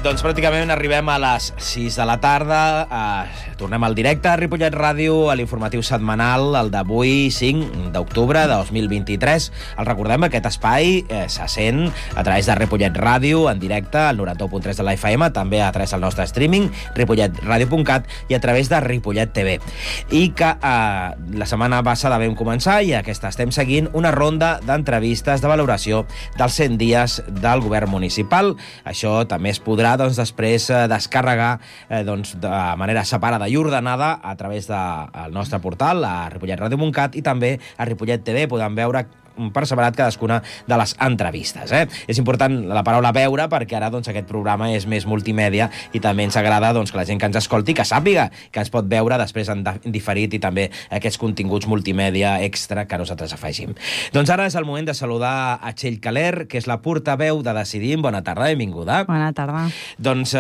Doncs pràcticament arribem a les 6 de la tarda. Tornem al directe a Ripollet Ràdio, a l'informatiu setmanal, el d'avui, 5 d'octubre de 2023. El recordem, aquest espai se sent a través de Ripollet Ràdio, en directe, al 91.3 de la FM, també a través del nostre streaming, ripolletradio.cat, i a través de Ripollet TV. I que la setmana passada vam començar, i aquesta estem seguint, una ronda d'entrevistes de valoració dels 100 dies del govern municipal. Això també es podrà després descarregar de manera separada i ordenada a través del nostre portal, a ripolletradio.cat, i també a Ripollet TV. Podem veure per separat cadascuna de les entrevistes. És important la paraula veure, perquè ara aquest programa és més multimèdia, i també ens agrada que la gent que ens escolti que sàpiga que ens pot veure després en diferit, i també aquests continguts multimèdia extra que nosaltres afegim. Doncs ara és el moment de saludar a Txell Caler, que és la portaveu de Decidim. Bona tarda, benvinguda. Bona tarda. Doncs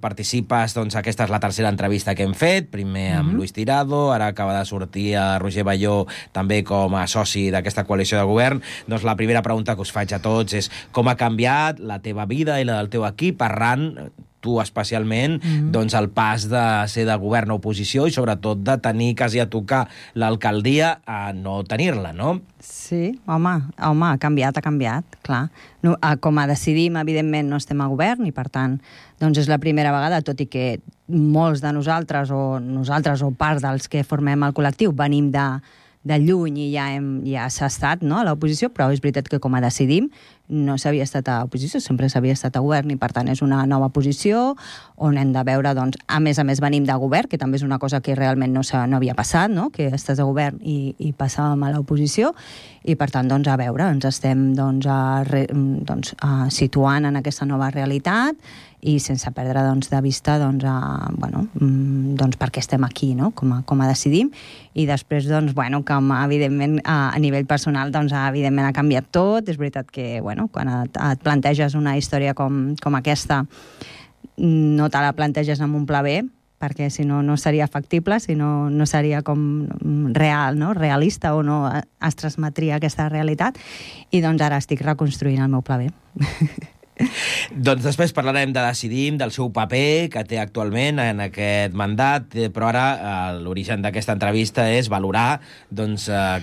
participes, aquesta és la tercera entrevista que hem fet, primer amb Luis Tirado, ara acaba de sortir a Roger Balló també com a soci d'aquesta coalició de govern. Doncs la primera pregunta que us faig a tots és com ha canviat la teva vida i la del teu equip arran, tu especialment, el pas de ser de govern a oposició i sobretot de tenir quasi a tocar l'alcaldia a no tenir-la, no? Sí, home, ha canviat, clar. No, com a Decidim, evidentment, no estem a govern, i per tant, és la primera vegada, tot i que molts de nosaltres o part dels que formem el col·lectiu venim de lluny i ja s'ha estat a l'oposició, però és veritat que com a Decidim no s'havia estat a oposició, sempre s'havia estat a govern, i per tant és una nova posició on hem de veure, a més venim de govern, que també és una cosa que realment no havia passat, que estàs a govern i passàvem a l'oposició, i per tant, a veure, ens estem situant en aquesta nova realitat, i sense perdre de vista per què estem aquí, com a Decidim. I després, com evidentment a nivell personal, evidentment ha canviat tot. És veritat que quan et planteges una història com aquesta, no te la planteges amb un pla B, perquè si no, no seria factible, si no, no seria com real, realista, o no es transmetria aquesta realitat. I ara estic reconstruint el meu pla B. Doncs després parlarem de Decidim, del seu paper que té actualment en aquest mandat, però ara l'origen d'aquesta entrevista és valorar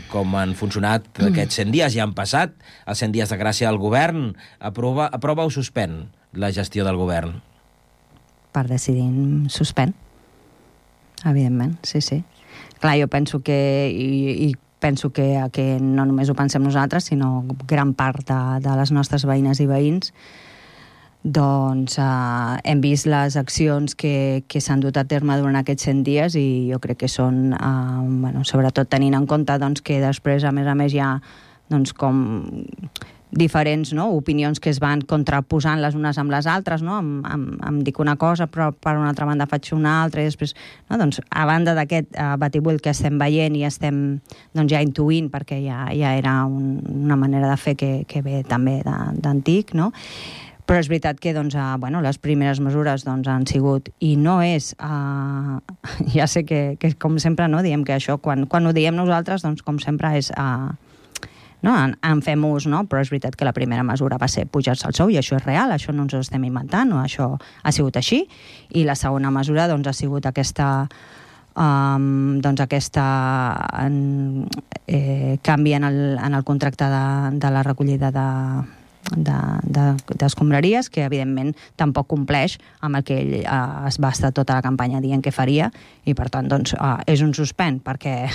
com han funcionat aquests 100 dies. Ja han passat els 100 dies de gràcia del govern. Aprova o suspèn la gestió del govern? Per Decidim, suspèn. Evidentment, sí. Clar, jo penso que penso que no només ho pensem nosaltres, sinó gran part de les nostres veïnes i veïns, hem vist les accions que s'han dut a terme durant aquests 100 dies, i jo crec que són, sobretot tenint en compte que després, a més hi ha com diferents opinions que es van contraposant les unes amb les altres, em dic una cosa però per una altra banda faig una altra, i després a banda d'aquest batibull que estem veient i estem ja intuint, perquè ja era una manera de fer que ve també d'antic, però és veritat que les primeres mesures han sigut, i no és ja sé que com sempre diem que això, quan ho diem nosaltres, com sempre és en fem ús, però és veritat que la primera mesura va ser pujar-se el sou, i això és real, això no ens ho estem inventant, això ha sigut així. I la segona mesura ha sigut aquesta canvi en el contracte de la recollida d'escombraries, que evidentment tampoc compleix amb el que ell es va estar tota la campanya dient que faria, i per tant és un suspèn, perquè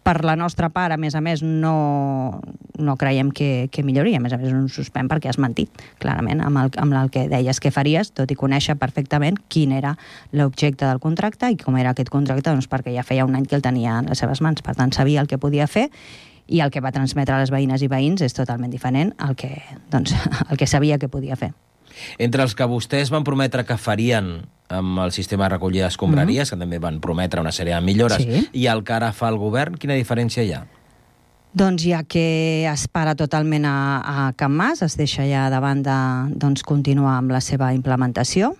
per la nostra part, a més, no creiem que millori. A més, és un suspèn perquè has mentit clarament amb el que deies que faries, tot i conèixer perfectament quin era l'objecte del contracte i com era aquest contracte, perquè ja feia un any que el tenia en les seves mans. Per tant, sabia el que podia fer, i el que va transmetre a les veïnes i veïns és totalment diferent al que sabia que podia fer. Entre els que vostès van prometre que farien amb el sistema de recollida d'escombraries, que també van prometre una sèrie de millores, i el que ara fa el govern, quina diferència hi ha? Doncs ja que es para totalment a Can Mas, es deixa ja de banda continuar amb la seva implementació,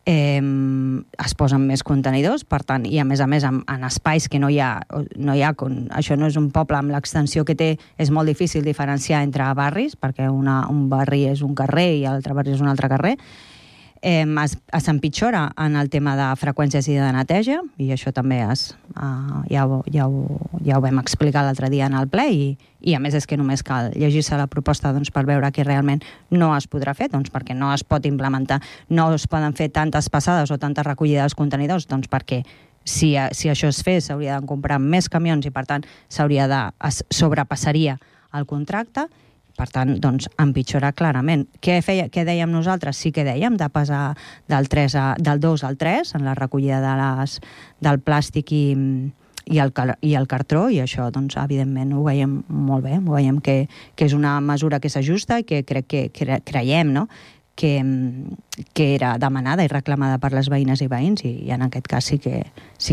es posen més contenidors, per tant, i a més en espais que no hi ha, això no és un poble amb l'extensió que té, és molt difícil diferenciar entre barris, perquè un barri és un carrer i l'altre barri és un altre carrer. s'empitjora en el tema de freqüències i de neteja, i això també ja ho vam explicar l'altre dia en el ple, i a més és que només cal llegir-se la proposta doncs, per veure que realment no es podrà fer, doncs, perquè no es pot implementar, no es poden fer tantes passades o tantes recollides dels contenidors, doncs perquè si això es fes s'hauria de comprar més camions i per tant sobrepassaria el contracte. Per tant, doncs, empitjora clarament. Què dèiem nosaltres? Sí que dèiem de passar del 2 al 3 en la recollida del plàstic i el cartró, i això, doncs, evidentment, ho veiem molt bé, ho veiem que és una mesura que s'ajusta i que creiem, no?, que era demanada i reclamada per les veïnes i veïns, i en aquest cas sí que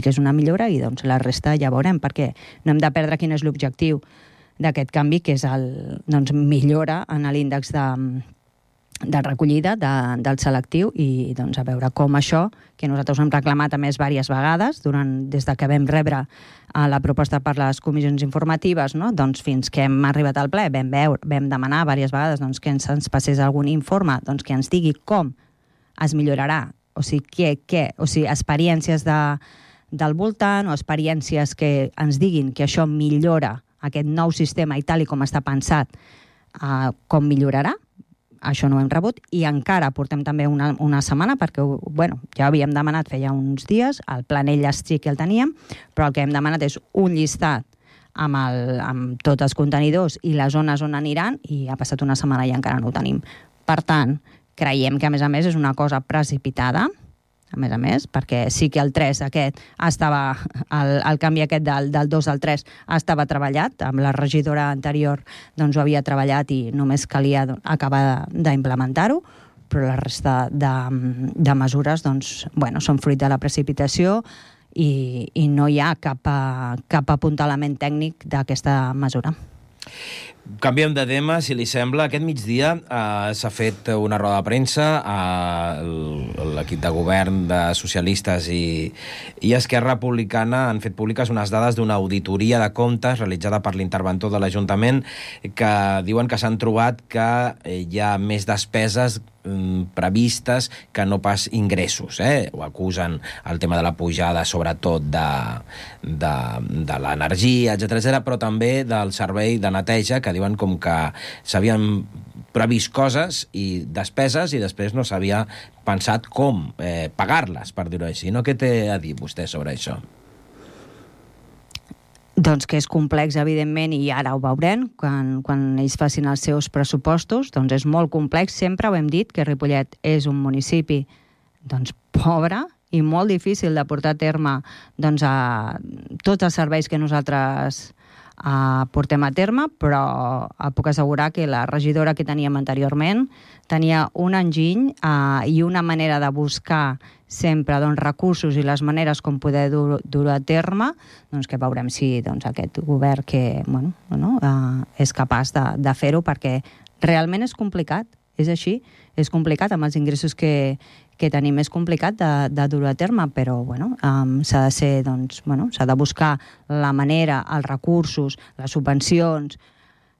és una millora, i doncs la resta ja veurem, perquè no hem de perdre quin és l'objectiu d'aquest canvi, que és millora en l'índex de recollida del selectiu, i doncs a veure com això, que nosaltres hem reclamat a més diverses vegades des de que vam rebre la proposta per les comissions informatives, no? Doncs fins que hem arribat al ple vam demanar diverses vegades doncs, que ens passés algun informe que ens digui com es millorarà, o sigui, experiències del voltant o experiències que ens diguin que això millora aquest nou sistema i tal i com està pensat, com millorarà. Això no ho hem rebut, i encara portem també una setmana, perquè ja havíem demanat feia uns dies, el planell sí que el teníem, però el que hem demanat és un llistat amb tots els contenidors i les zones on aniran, i ha passat una setmana i encara no ho tenim. Per tant, creiem que a més és una cosa precipitada, a més, perquè sí que el 3 aquest estava, el canvi aquest del 2 al 3 estava treballat, amb la regidora anterior doncs ho havia treballat i només calia acabar d'implementar-ho, però la resta de mesures doncs, són fruit de la precipitació i no hi ha cap apuntalament tècnic d'aquesta mesura. Canviem de tema, si li sembla. Aquest migdia s'ha fet una roda de premsa a l'equip de govern de socialistes i Esquerra Republicana han fet públiques unes dades d'una auditoria de comptes realitzada per l'interventor de l'Ajuntament, que diuen que s'han trobat que hi ha més despeses previstes que no pas ingressos. Ho acusen el tema de la pujada, sobretot de l'energia, etc., però també del servei de neteja, que diuen com que s'havien previst coses i despeses i després no s'havia pensat com pagar-les, per dir-ho així. No? Què té a dir vostè sobre això? Doncs que és complex, evidentment, i ara ho veurem, quan ells facin els seus pressupostos, doncs és molt complex. Sempre ho hem dit, que Ripollet és un municipi pobre i molt difícil de portar a terme a tots els serveis que nosaltres portem a terme, però puc assegurar que la regidora que teníem anteriorment tenia un enginy i una manera de buscar sempre recursos i les maneres com poder dur a terme, que veurem si aquest govern és capaç de fer-ho, perquè realment és complicat, és així, és complicat amb els ingressos que tenim, és complicat de dur a terme, però s'ha de ser, s'ha de buscar la manera, els recursos, les subvencions.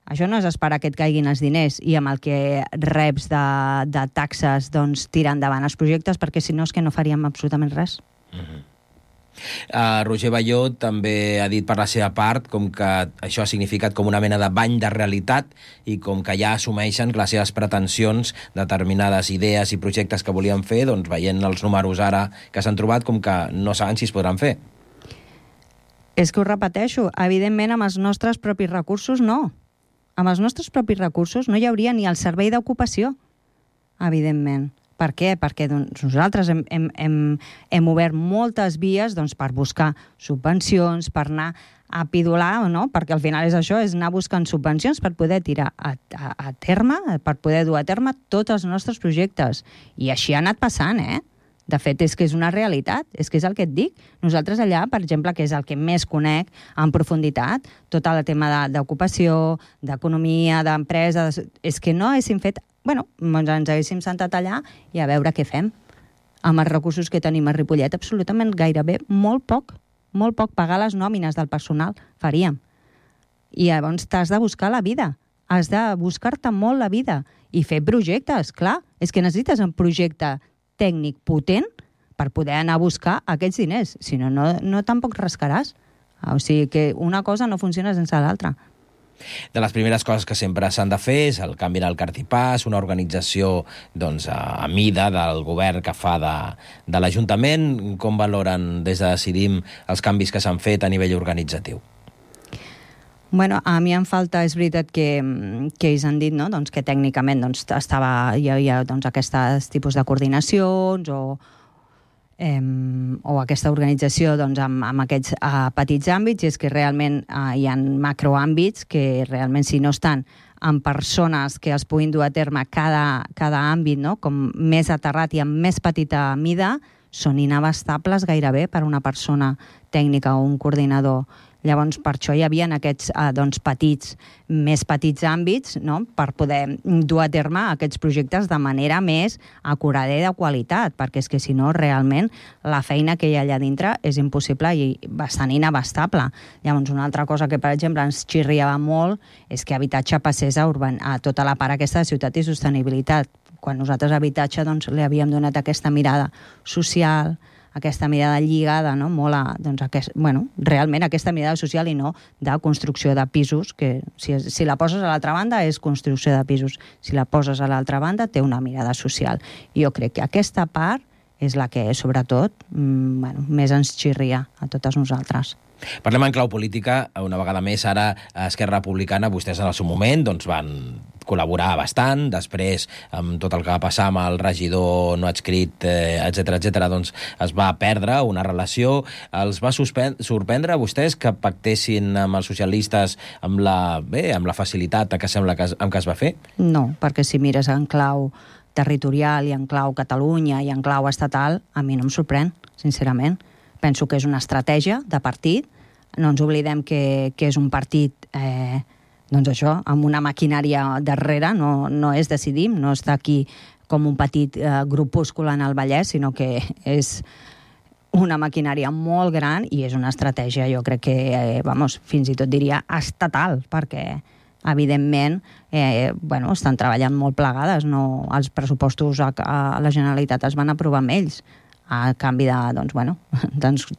Això no és esperar que et caiguin els diners i amb el que reps de taxes tirar endavant els projectes, perquè si no és que no faríem absolutament res. Roger Balló també ha dit per la seva part com que això ha significat com una mena de bany de realitat i com que ja assumeixen que les seves pretensions, determinades idees i projectes que volien fer, veient els números ara que s'han trobat, com que no saben si es podran fer. És que ho repeteixo, evidentment amb els nostres propis recursos no. Amb els nostres propis recursos no hi hauria ni el servei d'ocupació, evidentment. Per què? Perquè nosaltres hem obert moltes vies per buscar subvencions, per anar a pidolar, no? Perquè al final és això, és anar buscant subvencions per poder tirar a terme, per poder dur a terme tots els nostres projectes. I així ha anat passant, De fet, és que és una realitat, és que és el que et dic. Nosaltres allà, per exemple, que és el que més conec en profunditat, tot el tema d'ocupació, d'economia, d'empresa, és que no haguéssim fet... ens haguéssim sentat allà i a veure què fem. Amb els recursos que tenim a Ripollet, absolutament gairebé molt poc pagar les nòmines del personal faríem. I llavors t'has de buscar la vida, has de buscar-te molt la vida i fer projectes, clar. És que necessites un projecte tècnic potent per poder anar a buscar aquests diners. Si no, no tampoc rascaràs. O sigui que una cosa no funciona sense l'altra. De les primeres coses que sempre s'han de fer és el canvi del cartipàs, una organització a mida del govern que fa de l'Ajuntament. Com valoren des de Decidim els canvis que s'han fet a nivell organitzatiu? Bueno, a mi em falta, és veritat que ells han dit, no? Que tècnicament hi havia aquests tipus de coordinacions o aquesta organització amb aquests petits àmbits, i és que realment hi ha macroàmbits que realment si no estan amb persones que els puguin dur a terme cada àmbit, no? Com més aterrat i amb més petita mida, són inabastables gairebé per una persona tècnica o un coordinador. Llavors, per això hi havia aquests més petits àmbits, no? Per poder dur a terme aquests projectes de manera més acurada i de qualitat, perquè és que si no, realment, la feina que hi ha allà dintre és impossible i bastant inabastable. Llavors, una altra cosa que, per exemple, ens xirriava molt és que habitatge passés a tota la part aquesta de ciutat i sostenibilitat. Quan nosaltres a habitatge li havíem donat aquesta mirada social, aquesta mirada lligada, no? Molt a, realment aquesta mirada social i no de construcció de pisos, que si la poses a l'altra banda és construcció de pisos, si la poses a l'altra banda té una mirada social. I jo crec que aquesta part és la que, sobretot, més ens xirria a totes nosaltres. Parlem en clau política, una vegada més, ara a Esquerra Republicana, vostès en el seu moment van col·laborar bastant, després amb tot el que va passar amb el regidor no adscrit, etc, es va perdre una relació. Els va sorprendre a vostès que pactessin amb els socialistes amb la facilitat que sembla amb què es va fer? No, perquè si mires en clau territorial i en clau Catalunya i en clau estatal, a mi no em sorprèn, sincerament. Penso que és una estratègia de partit. No ens oblidem que és un partit amb una maquinària darrere, no és Decidim, no està aquí com un petit grupúscul en el Vallès, sinó que és una maquinària molt gran i és una estratègia, jo crec que, fins i tot diria estatal, perquè evidentment estan treballant molt plegades, els pressupostos a la Generalitat es van aprovar amb ells, a canvi de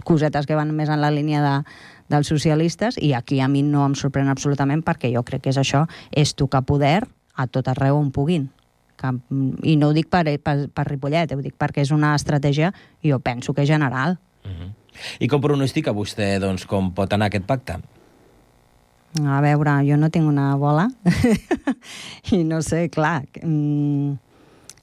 cosetes que van més en la línia dels socialistes, i aquí a mi no em sorprèn absolutament perquè jo crec que és això, és tocar poder a tot arreu on puguin. I no ho dic per Ripollet, ho dic perquè és una estratègia, jo penso que és general. I com pronostica vostè com pot anar aquest pacte? A veure, jo no tinc una bola i no sé, clar.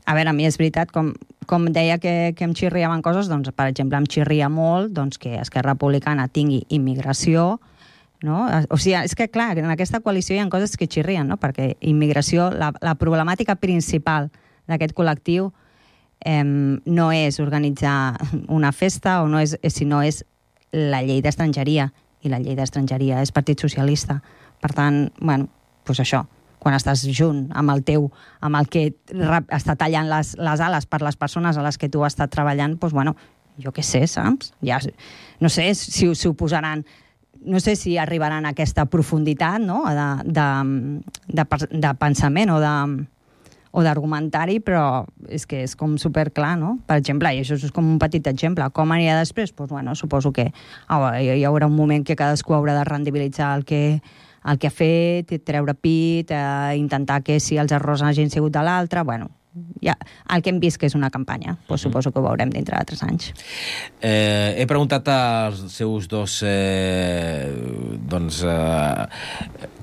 A veure, a mi és veritat, com deia que em xirriaven coses, per exemple, em xirria molt que Esquerra Republicana tingui immigració, no? O sigui, és que, clar, en aquesta coalició hi ha coses que xirrien, no? Perquè immigració, la problemàtica principal d'aquest col·lectiu no és organitzar una festa, sinó és la llei d'estrangeria, i la llei d'estrangeria és Partit Socialista. Per tant, això, quan estàs junt amb el que està tallant les ales per les persones a les que tu has estat treballant, jo què sé, saps? Ja, no sé si ho posaran, no sé si arribaran a aquesta profunditat, no? de pensament o d'argumentari, però és que és com superclar, no? Per exemple, i això és com un petit exemple, com anirà després? Suposo que hi haurà un moment que cadascú haurà de rendibilitzar el que ha fet, treure pit, intentar que si els errors hagin sigut de l'altre, ja, el que hem vist que és una campanya, suposo que ho veurem dintre de 3 anys. He preguntat als seus dos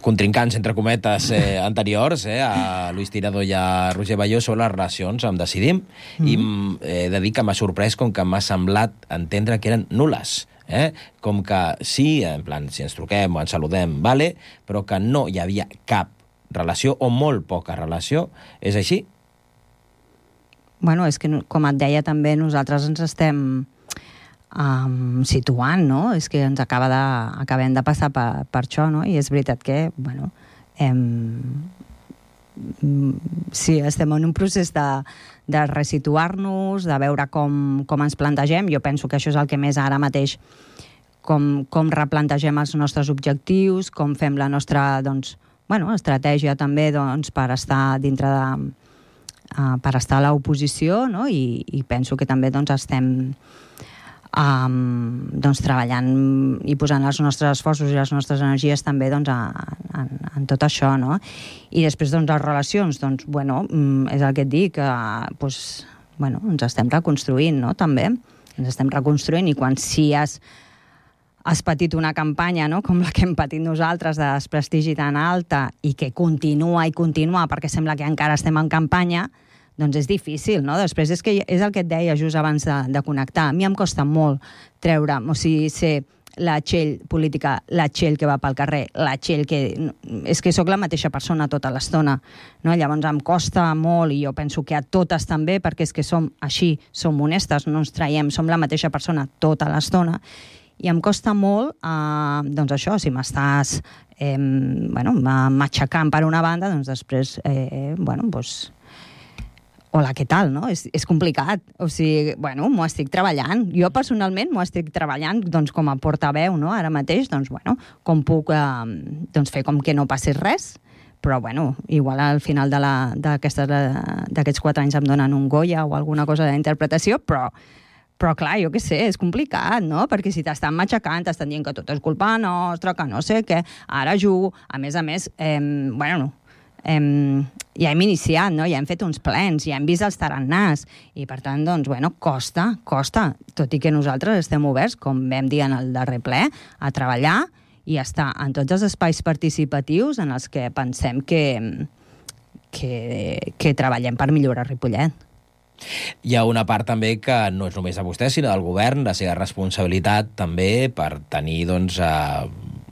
contrincants, entre cometes, anteriors, a Luis Tirado i a Roger Balló, sobre les relacions amb Decidim, i he de dir que m'ha sorprès com que m'ha semblat entendre que eren nul·les. Com que sí, en plan, si ens truquem o ens saludem, vale, però que no hi havia cap relació o molt poca relació. És així? És que, com et deia també, nosaltres ens estem situant, no? És que ens acabem de passar per això, no? I és veritat que, sí, estem en un procés de resituar-nos, de veure com ens plantegem. Jo penso que això és el que més ara mateix, com replantegem els nostres objectius, com fem la nostra estratègia també per estar dintre per estar a l'oposició, no? I penso que també doncs, estem doncs, treballant i posant els nostres esforços i les nostres energies també doncs, en tot això, no? I després doncs, les relacions, doncs, bueno, és el que et dic, doncs, bueno, ens estem reconstruint, no? També ens estem reconstruint, i quan si has patit una campanya, no?, com la que hem patit nosaltres, de desprestigi tan alta, i que continua i continua, perquè sembla que encara estem en campanya, doncs és difícil, no? Després és que és el que et deia just abans de connectar. A mi em costa molt treure'm, o sigui, ser la Txell política, la Txell que va pel carrer, la Txell que... És que sóc la mateixa persona tota l'estona, no? Llavors em costa molt, i jo penso que a totes també, perquè és que som així, som honestes, no ens traiem, som la mateixa persona tota l'estona, i em costa molt, doncs això, si m'estàs matxacant per una banda, doncs després, bueno, doncs... Hola, què tal, no? És complicat. O sigui, bueno, m'ho estic treballant. Jo, personalment, m'ho estic treballant doncs, com a portaveu, no? Ara mateix, doncs, bueno, com puc doncs, fer com que no passi res, però, bueno, igual al final d'aquests 4 anys em donen un Goya o alguna cosa d'interpretació, però clar, jo què sé, és complicat, no? Perquè si t'estan matxacant, t'estan dient que tot és culpa nostra, que no sé què, ara jugo, a més, bueno, ja hem iniciat, no? Ja hem fet uns plens, ja hem vist els tarannàs, i per tant, doncs, bueno, costa, tot i que nosaltres estem oberts, com vam dir en el darrer ple, a treballar i a estar en tots els espais participatius en els que pensem que treballem per millorar Ripollet. Hi ha una part també que no és només de vostè, sinó del govern, la seva responsabilitat també per tenir, doncs,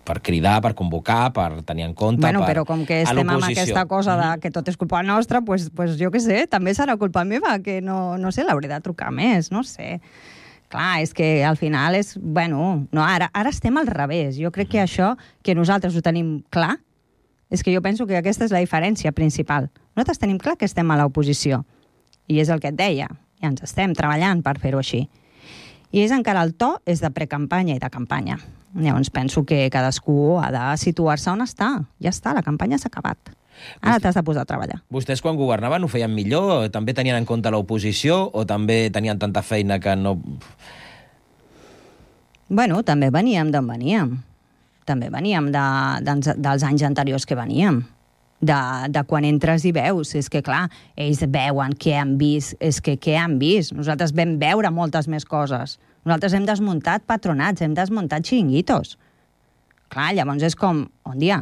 per cridar, per convocar, per tenir en compte... Bueno, però com que estem amb aquesta cosa de que tot és culpa nostra, pues jo què sé, també serà culpa meva, que no sé, l'hauré de trucar més, no sé. Clar, és que al final és... Bueno, no, ara estem al revés. Jo crec que això, que nosaltres ho tenim clar, és que jo penso que aquesta és la diferència principal. Nosaltres tenim clar que estem a l'oposició, i és el que et deia, i ens estem treballant per fer-ho així. I és encara el to, és de precampanya i de campanya. Llavors penso que cadascú ha de situar-se on està. Ja està, la campanya s'ha acabat. Ara t'has de posar a treballar. Vostès quan governaven ho feien millor? També tenien en compte l'oposició o també tenien tanta feina que no... Bueno, també veníem d'on veníem. També veníem dels anys anteriors que veníem. De quan entres i veus. És que, clar, ells veuen què han vist. És que què han vist? Nosaltres vam veure moltes més coses. Nosaltres hem desmuntat patronats, hem desmuntat xiringuitos. Clar, llavors és com, on dia?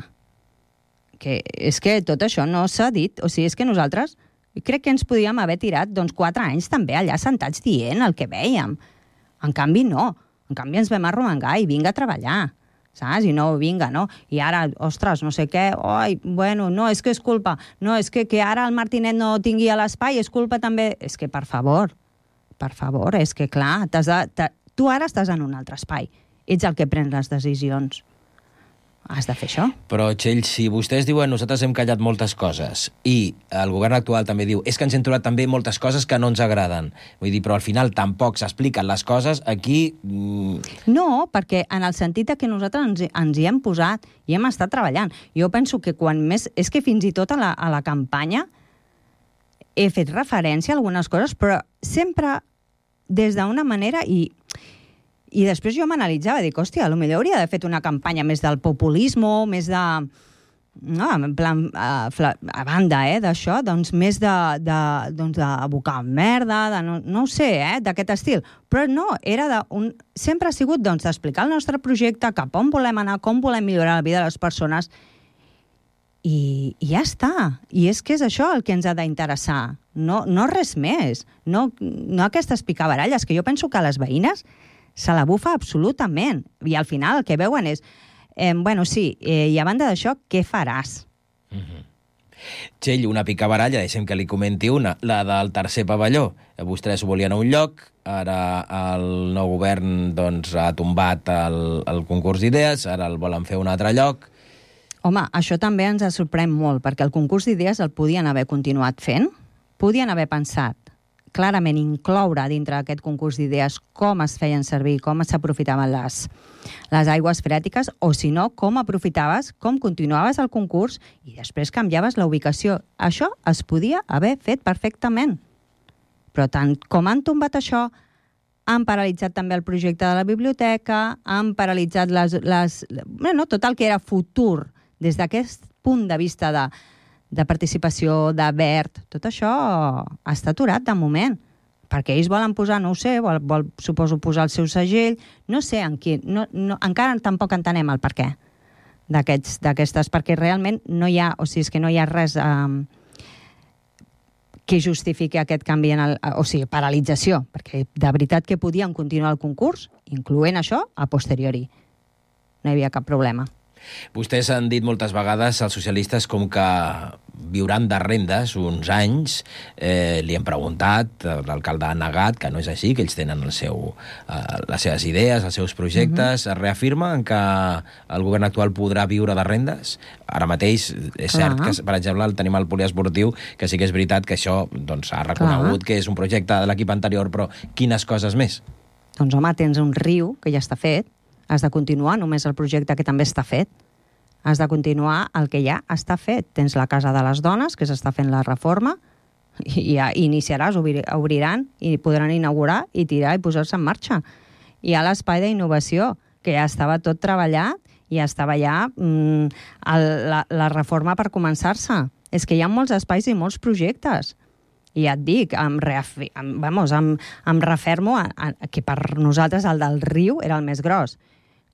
Que és que tot això no s'ha dit. O sigui, és que nosaltres crec que ens podíem haver tirat 4 anys també allà sentats dient el que vèiem. En canvi, no. En canvi, ens vam arromangar i vinga a treballar. Saps? I no, vinga, no? I ara, ostres, no sé què, oi, bueno, no, és que és culpa. No, és que ara el Martinet no tingui a l'espai, és culpa també... És que, per favor, és que, clar, tu ara estàs en un altre espai. Ets el que pren les decisions. Has de fer això. Però, Txell, si vostès diuen nosaltres hem callat moltes coses i el govern actual també diu és que ens hem trobat també moltes coses que no ens agraden. Vull dir, però al final tampoc s'expliquen les coses, aquí... No, perquè en el sentit que nosaltres ens hi hem posat i hem estat treballant. Jo penso que quan més... És que fins i tot a la campanya he fet referència a algunes coses, però sempre des d'una manera i després jo m'analitzava, dic, hòstia, potser hauria d'haver fet una campanya més del populisme, més de... No, en plan, a banda d'això, doncs més d'abocar merda, no ho sé, d'aquest estil. Però no, sempre ha sigut d'explicar el nostre projecte, cap on volem anar, com volem millorar la vida de les persones, i ja està. I és que és això el que ens ha d'interessar, no res més. No aquestes picabaralles, que jo penso que les veïnes se la bufa absolutament. I al final el que veuen és, bueno, sí, i a banda d'això, què faràs? Txell, una picabaralla, deixem que li comenti una, la del tercer pavelló. Vostès ho volien a un lloc, ara el nou govern doncs, ha tombat el concurs d'idees, ara el volen fer a un altre lloc. Home, això també ens sorprèn molt, perquè el concurs d'idees el podien haver continuat fent, podien haver pensat clarament incloure dintre d'aquest concurs d'idees com es feien servir, com s'aprofitaven les aigües freàtiques, o si no, com aprofitaves, com continuaves el concurs i després canviaves la ubicació. Això es podia haver fet perfectament. Però tant com han tombat això, han paralitzat també el projecte de la biblioteca, han paralitzat tot el que era futur des d'aquest punt de vista de participació, de verd. Tot això està aturat de moment, perquè ells volen posar, no ho sé, vol suposo posar el seu segell, no sé en quin, encara tampoc entenem el perquè d'aquestes, perquè realment no hi ha, o sigui, és que no hi ha res que justifiqui aquest canvi, paralització, perquè de veritat que podien continuar el concurs, incloent això, a posteriori. No hi havia cap problema. Vostès han dit moltes vegades, els socialistes, com que viuran de rendes uns anys. Li hem preguntat, l'alcalde ha negat que no és així, que ells tenen les seves idees, els seus projectes. Es reafirmen que el govern actual podrà viure de rendes? Ara mateix és cert que, per exemple, tenim el poliesportiu, que sí que és veritat que això ha reconegut que és un projecte de l'equip anterior, però quines coses més? Doncs home, tens un riu que ja està fet. Has de continuar només el projecte que també està fet. Has de continuar el que ja està fet. Tens la Casa de les Dones, que s'està fent la reforma, i ja iniciaràs, obriran, i podran inaugurar i tirar i posar-se en marxa. Hi ha l'espai d'innovació, que ja estava tot treballat, i ja estava ja la reforma per començar-se. És que hi ha molts espais i molts projectes. I ja et dic, em refermo que per nosaltres el del riu era el més gros.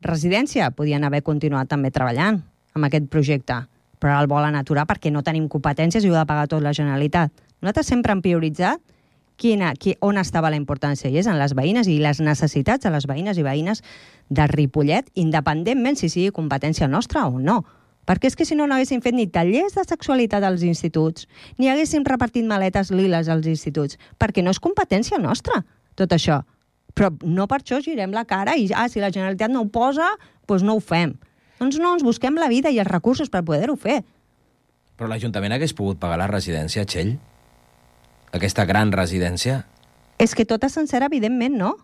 Residència, podien haver continuat també treballant amb aquest projecte, però el volen aturar perquè no tenim competències i ho ha de pagar tot la Generalitat. Nosaltres sempre hem prioritzat on estava la importància, i és en les veïnes i les necessitats de les veïnes i veïnes de Ripollet, independentment si sigui competència nostra o no. Perquè és que si no haguéssim fet ni tallers de sexualitat als instituts, ni haguéssim repartit maletes liles als instituts, perquè no és competència nostra, tot això. Però no per això girem la cara i, si la Generalitat no ho posa, doncs no ho fem. Doncs no, ens busquem la vida i els recursos per poder-ho fer. Però l'Ajuntament hagués pogut pagar la residència, Txell? Aquesta gran residència? És que tota sencera, evidentment, no.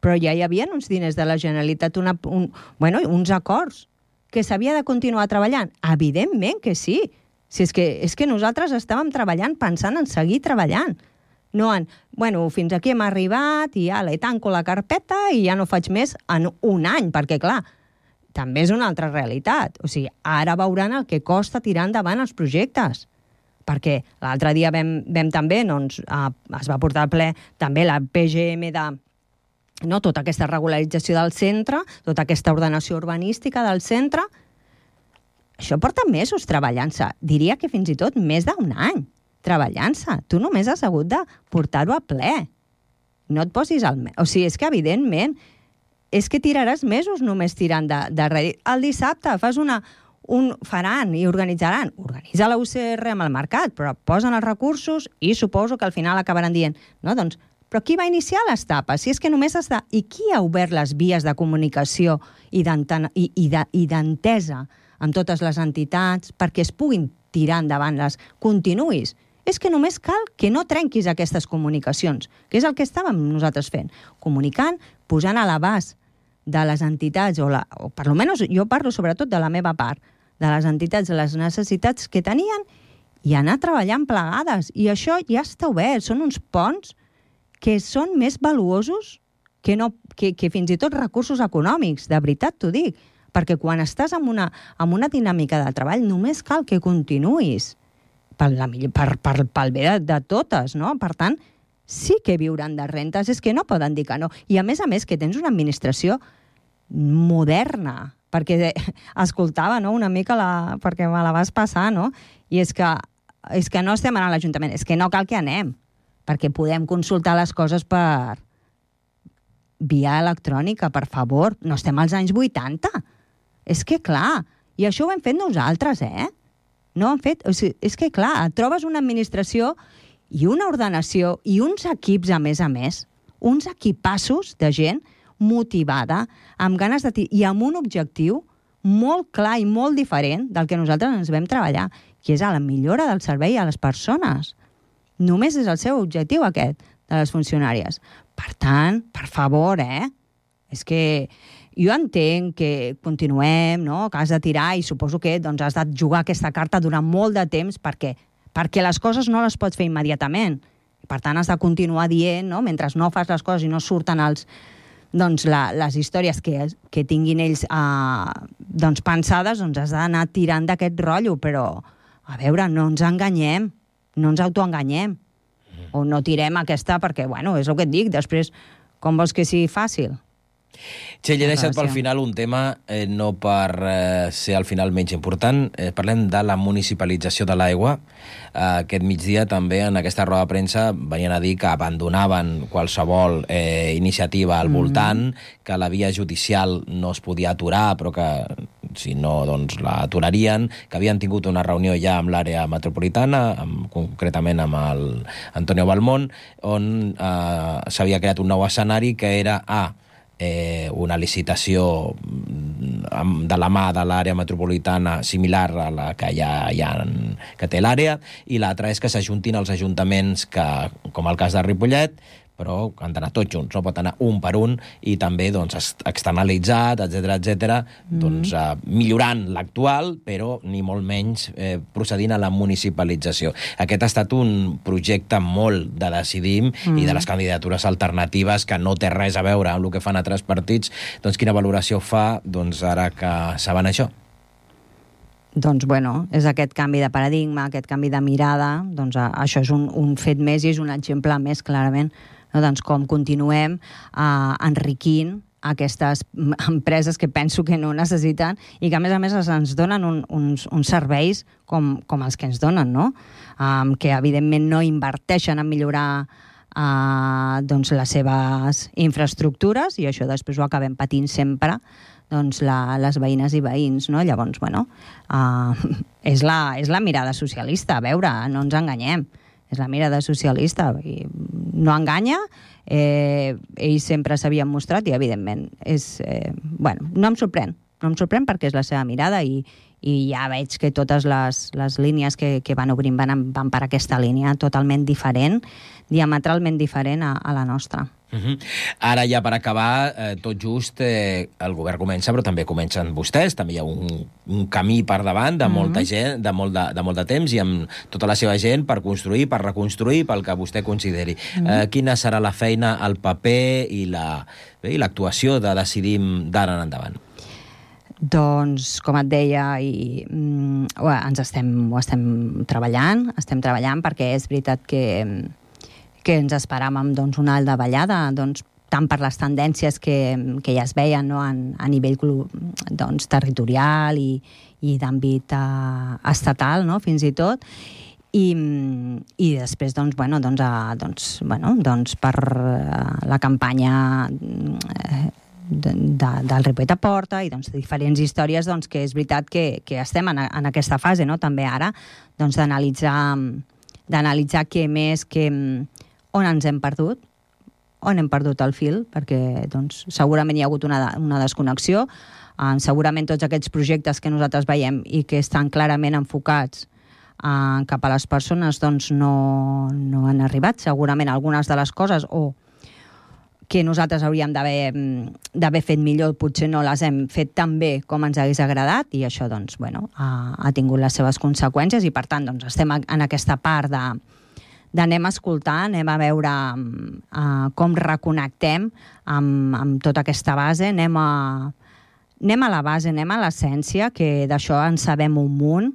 Però ja hi havia uns diners de la Generalitat, uns acords, que s'havia de continuar treballant. Evidentment que sí. Si és que nosaltres estàvem treballant pensant en seguir treballant. No fins aquí hem arribat i ja le tanco la carpeta i ja no faig més en un any, perquè, clar, també és una altra realitat. O sigui, ara veuran el que costa tirar endavant els projectes. Perquè l'altre dia vam també, es va portar al ple també la PGM tota aquesta regularització del centre, tota aquesta ordenació urbanística del centre. Això porta mesos treballant-se. Diria que fins i tot més d'un any treballant-se. Tu només has hagut de portar-ho a ple. No et posis o sigui, és que evidentment és que tiraràs mesos només tirant de rèdit. El dissabte faran i organitzaran. Organitza la UCR amb el mercat, però posen els recursos i suposo que al final acabaran dient però qui va iniciar les tapes? Si és que només has de... I qui ha obert les vies de comunicació i d'entesa amb totes les entitats perquè es puguin tirar endavant continuïs? És que només cal que no trenquis aquestes comunicacions, que és el que estàvem nosaltres fent. Comunicant, posant a l'abast de les entitats, o per almenys jo parlo sobretot de la meva part, de les entitats, de les necessitats que tenien, i anar treballant plegades. I això ja està obert. Són uns ponts que són més valuosos que fins i tot recursos econòmics. De veritat t'ho dic. Perquè quan estàs en una dinàmica de treball només cal que continuïs pel bé de totes, no? Per tant, sí que viuran de rentes, és que no poden dir que no. I a més que tens una administració moderna, perquè escoltava una mica perquè me la vas passar, no? I és que no estem anant a l'Ajuntament, és que no cal que anem, perquè podem consultar les coses per via electrònica, per favor. No estem als anys 80. És que clar, i això ho hem fet nosaltres, No han fet... O sigui, és que clar, et trobes una administració i una ordenació i uns equips, a més, uns equipassos de gent motivada, amb ganes i amb un objectiu molt clar i molt diferent del que nosaltres ens vam treballar, que és a la millora del servei a les persones. Només és el seu objectiu aquest, de les funcionàries. Per tant, per favor, és que jo entenc que continuem, no? Que has de tirar i suposo que doncs, has de jugar aquesta carta durant molt de temps perquè les coses no les pots fer immediatament. Per tant, has de continuar dient, no? Mentre no fas les coses i no surten les històries que tinguin ells doncs, pensades, doncs has d'anar tirant d'aquest rotllo, però, a veure, no ens enganyem, no ens autoenganyem, o no tirem aquesta perquè, bueno, és el que et dic, després, com vols que sigui fàcil? Txell, he deixat pel final un tema, no per ser al final menys important. Parlem de la municipalització de l'aigua. Aquest migdia també en aquesta roda de premsa venien a dir que abandonaven qualsevol iniciativa al voltant, que la via judicial no es podia aturar, però que si no, doncs la aturarien, que havien tingut una reunió ja amb l'àrea metropolitana, concretament amb el Antonio Balmón, on s'havia creat un nou escenari que era una licitació de la mà de l'àrea metropolitana similar a la que que té l'àrea, i l'altra és que s'ajuntin els ajuntaments que, com el cas de Ripollet, però han d'anar tots junts, no pot anar un per un, i també doncs, externalitzat, etc., doncs, millorant l'actual, però ni molt menys procedint a la municipalització. Aquest ha estat un projecte molt de Decidim i de les candidatures alternatives que no té res a veure amb el que fan altres partits. Doncs quina valoració fa ara que saben això? Doncs, bueno, és aquest canvi de paradigma, aquest canvi de mirada, doncs això és un fet més i és un exemple més, clarament, no? Doncs com continuem enriquint aquestes empreses que penso que no necessiten i que, a més, ens donen uns serveis com els que ens donen, no? Que, evidentment, no inverteixen en millorar doncs, les seves infraestructures, i això després ho acabem patint sempre doncs, les veïnes i veïns, no? Llavors, bueno, és la mirada socialista, a veure, no ens enganyem. És la mirada socialista, i no enganya, ells sempre s'havien mostrat i, evidentment, no em sorprèn perquè és la seva mirada i ja veig que totes les línies que van obrint van per aquesta línia totalment diferent, diametralment diferent a la nostra. Ara ja per acabar, tot just el govern comença, però també comencen vostès, també hi ha un camí per davant de molta gent, de molt de temps, i amb tota la seva gent per construir, per reconstruir, pel que vostè consideri. Quina serà la feina, el paper i l'actuació de Decidim d'ara en endavant? Doncs, com et deia, ho estem treballant perquè és veritat que ens esperàvem doncs, una davallada, doncs, tant per les tendències que ja es veien, no? a nivell doncs, territorial i d'àmbit estatal, no? Fins i tot. I després, per la campanya del Ripollet a Porta i doncs, diferents històries doncs, que és veritat que estem en aquesta fase, no? També ara, doncs, d'analitzar què més, on ens hem perdut, on hem perdut el fil, perquè doncs, segurament hi ha hagut una desconnexió, segurament tots aquests projectes que nosaltres veiem i que estan clarament enfocats cap a les persones doncs, no han arribat. Segurament algunes de les coses que nosaltres hauríem d'haver fet millor, potser no les hem fet tan bé com ens hagués agradat, i això doncs, ha tingut les seves conseqüències, i per tant doncs, estem en aquesta part d'anem a escoltar, anem a veure com reconnectem amb tota aquesta base, anem a la base, anem a l'essència, que d'això en sabem un munt.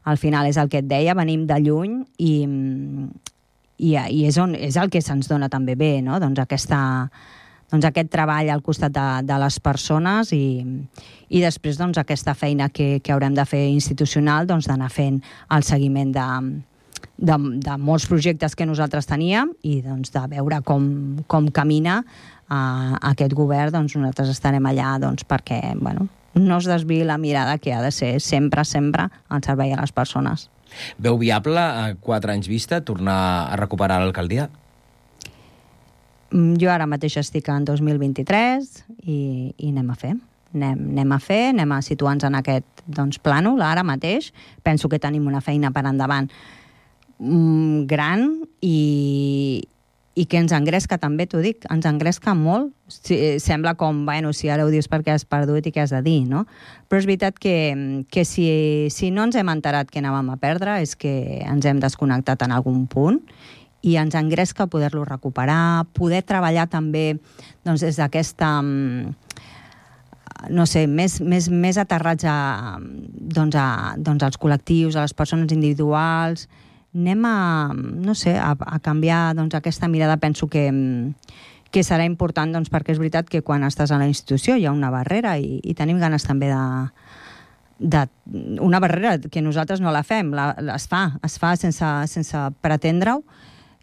Al final és el que et deia, venim de lluny i és el que se'ns dona també bé, no? Doncs aquest treball al costat de les persones i després doncs, aquesta feina que haurem de fer institucional, doncs, d'anar fent el seguiment de molts projectes que nosaltres teníem i doncs, de veure com camina aquest govern. Doncs, nosaltres estarem allà doncs, perquè no es desviï la mirada, que ha de ser sempre al servei a les persones. Veu viable, a 4 anys vista, tornar a recuperar l'alcaldia? Jo ara mateix estic en 2023 i anem a fer. Anem a situar-nos en aquest plànol ara mateix. Penso que tenim una feina per endavant gran i que ens engresca també, t'ho dic, ens engresca molt. Sembla com, bueno, si ara ho dius perquè has perdut i què has de dir, no? Però és veritat que si no ens hem enterat que anàvem a perdre és que ens hem desconnectat en algun punt i ens engresca poder-lo recuperar, poder treballar també doncs, des d'aquesta... no sé, més aterrats als col·lectius, a les persones individuals. Anem a canviar doncs, aquesta mirada. Penso que serà important doncs, perquè és veritat que quan estàs a la institució hi ha una barrera i tenim ganes també una barrera que nosaltres no la fem, es fa sense pretendre-ho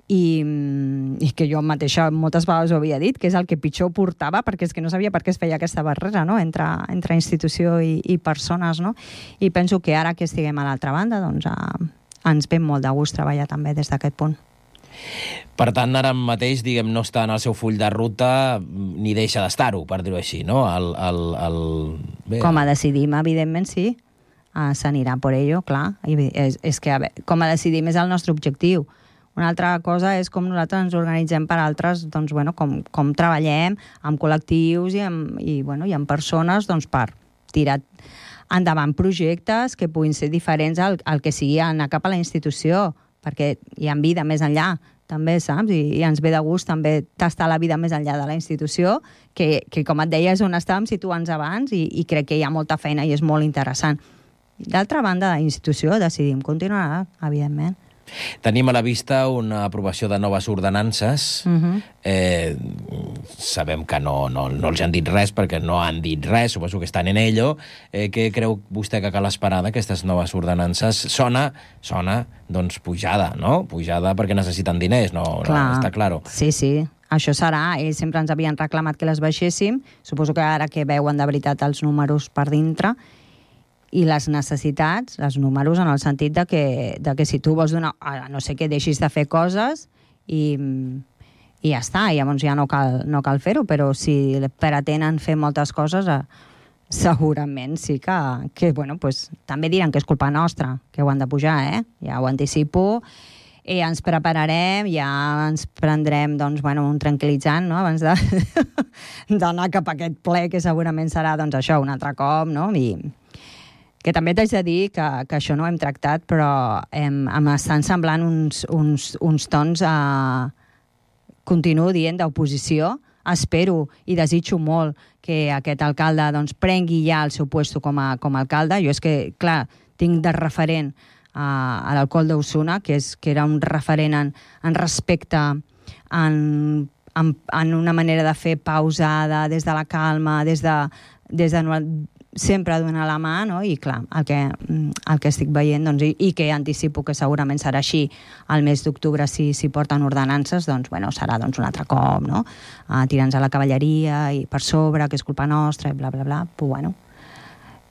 i que jo mateixa moltes vegades ho havia dit, que és el que pitjor portava, perquè és que no sabia per què es feia aquesta barrera, no?, entre institució i persones, no? I penso que ara que estiguem a l'altra banda, doncs ens ve molt de gust treballar també des d'aquest punt. Per tant, ara mateix, diguem, no està en el seu full de ruta ni deixa d'estar-ho, per dir-ho així, no? Com a decidim, evidentment, sí. S'anirà per ello, clar. És que, com a decidim és el nostre objectiu. Una altra cosa és com nosaltres ens organitzem per altres, doncs, bueno, com treballem amb col·lectius i amb persones doncs, per tirar endavant projectes que puguin ser diferents al que sigui anar cap a la institució, perquè hi ha vida més enllà, també, saps? I ens ve de gust també tastar la vida més enllà de la institució, que com et deia, és on estàvem situants abans i crec que hi ha molta feina i és molt interessant. D'altra banda, la institució decidim continuar, evidentment. Tenim a la vista una aprovació de noves ordenances. Sabem que no els han dit res perquè no han dit res, suposo que estan en ello. Què creu vostè que cal esperar d'aquestes noves ordenances? Sona, doncs, pujada, no? Pujada perquè necessiten diners, no està claro. Sí, això serà. Ells sempre ens havien reclamat que les baixéssim. Suposo que ara que veuen de veritat els números per dintre i les necessitats, els números, en el sentit de que si tu vols donar, no sé què, deixis de fer coses i ja està, llavors ja no cal fer-ho, però si pretenen fer moltes coses, segurament sí que bueno, pues, també diran que és culpa nostra, que ho han de pujar, ja ho anticipo, i ens prepararem, ja ens prendrem doncs, bueno, un tranquil·litzant, no?, abans d'anar cap a aquest ple, que segurament serà doncs, això, un altre cop, no?, i que també t'haig de dir que això no ho hem tractat, però m'estan semblant uns tons, continuo dient, d'oposició. Espero i desitjo molt que aquest alcalde doncs, prengui ja el seu puesto com a alcalde. Jo és que, clar, tinc de referent a l'alcalde d'Osona, que era un referent en respecte, en una manera de fer pausada, des de la calma, des de sempre donar la mà, no? I clar, el que estic veient, doncs, i que anticipo que segurament serà així el mes d'octubre si porten ordenances, doncs, bueno, serà doncs, un altre cop, no? Tirant-nos a la cavalleria i per sobre, que és culpa nostra, i bla, bla, bla. Però, bueno,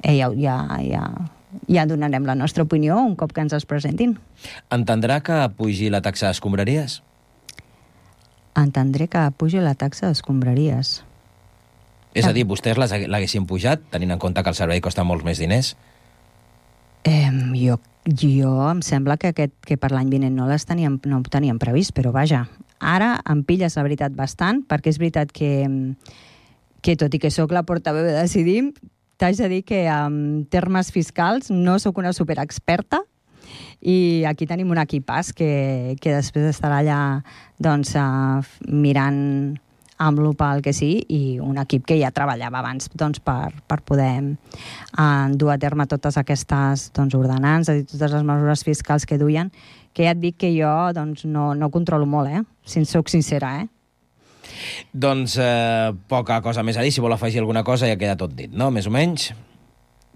ja donarem la nostra opinió un cop que ens els presentin. Entendrà que pugi la taxa d'escombraries? Entendré que pugi la taxa d'escombraries. És a dir, vostès l'haguessin pujat, tenint en compte que el servei costa molts més diners? Jo em sembla que per l'any vinent no ho teníem previst, però vaja, ara em pilles la veritat bastant, perquè és veritat que tot i que sóc la portaveu de Decidim, t'haig de dir que en termes fiscals no sóc una superexperta, i aquí tenim un equipàs que després estarà allà doncs, mirant amb lupa el que sí, i un equip que ja treballava abans doncs, per poder dur a terme totes aquestes ordenances i totes les mesures fiscals que duien, que ja et dic que jo doncs, no controlo molt, si soc sincera. Doncs poca cosa més a dir. Si vol afegir alguna cosa ja queda tot dit, no? Més o menys.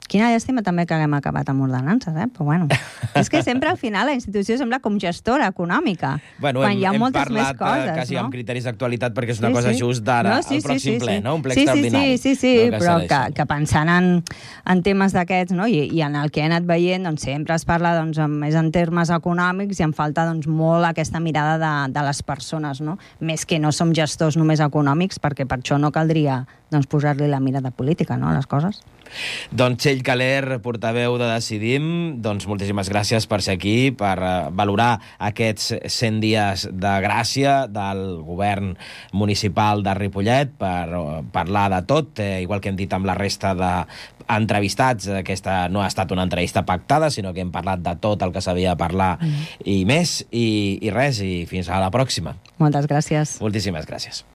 Quina llàstima també que haguem acabat amb ordenances, però bueno. És que sempre al final la institució sembla com gestora econòmica, bueno, quan hi ha moltes més coses. Hem parlat quasi amb criteris d'actualitat perquè és una cosa just d'ara, el pròxim ple, no? Un ple extraordinari. Sí, però que pensant en temes d'aquests, no? I en el que he anat veient, doncs sempre es parla més en termes econòmics i em falta molt aquesta mirada de les persones, no? Més que no som gestors només econòmics, perquè per això no caldria posar-li la mirada política, no?, a les coses. Doncs Txell Caler, portaveu de Decidim, doncs moltíssimes gràcies per ser aquí, per valorar aquests 100 dies de gràcia del govern municipal de Ripollet, per parlar de tot, igual que hem dit amb la resta d'entrevistats. Aquesta no ha estat una entrevista pactada, sinó que hem parlat de tot el que s'havia de parlar i més, i res, i fins a la pròxima. Moltes gràcies. Moltíssimes gràcies.